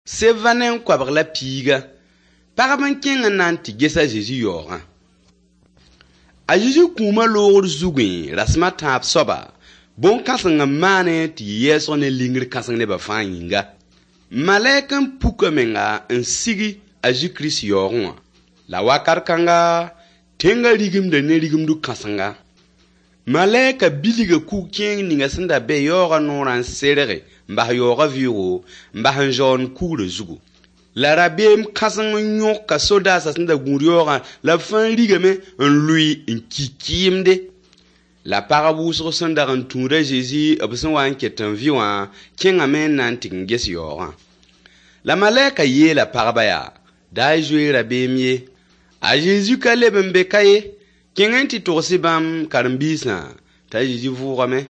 37. Pagb n kẽng n na n tɩ ges a Zezi yaoogã. A Zezi kũumã loogr zugẽ rasem a tãab soaba, bõn-kãseng n maane tɩ yɩ yɛɛsg ne lingr kãseng nebã fãa yĩnga. Malɛk n puk a menga n sigi a Zezi-Kirist yaoogẽ wã. La wakat kãnga, tẽngã rigimda ne rigimdu kãsenga. Malɛka bilga kug-kẽeng ninga sẽn da be yaoogã noorã n serge n bas yaoogã vɩʋʋgo, n bas n zaoond kugrã zugu. La rabeem kãseng n yõka sodaasã sẽn da gũud yaoogã la b fãa rigame n lʋɩ n ki kɩɩmde. La pagb wʋsg sẽn dag n tũud a Zezi b sẽn wa n ket n vɩ wã kẽngame n na n tɩ n ges yaoogã. La malɛka yeela pagba yaa: Da y zoe rabeem ye. A Zezi ka leb n be ka ye. Kẽng n tɩ togs-y bãmb karen-biisã t'a Zezi vʋʋgame.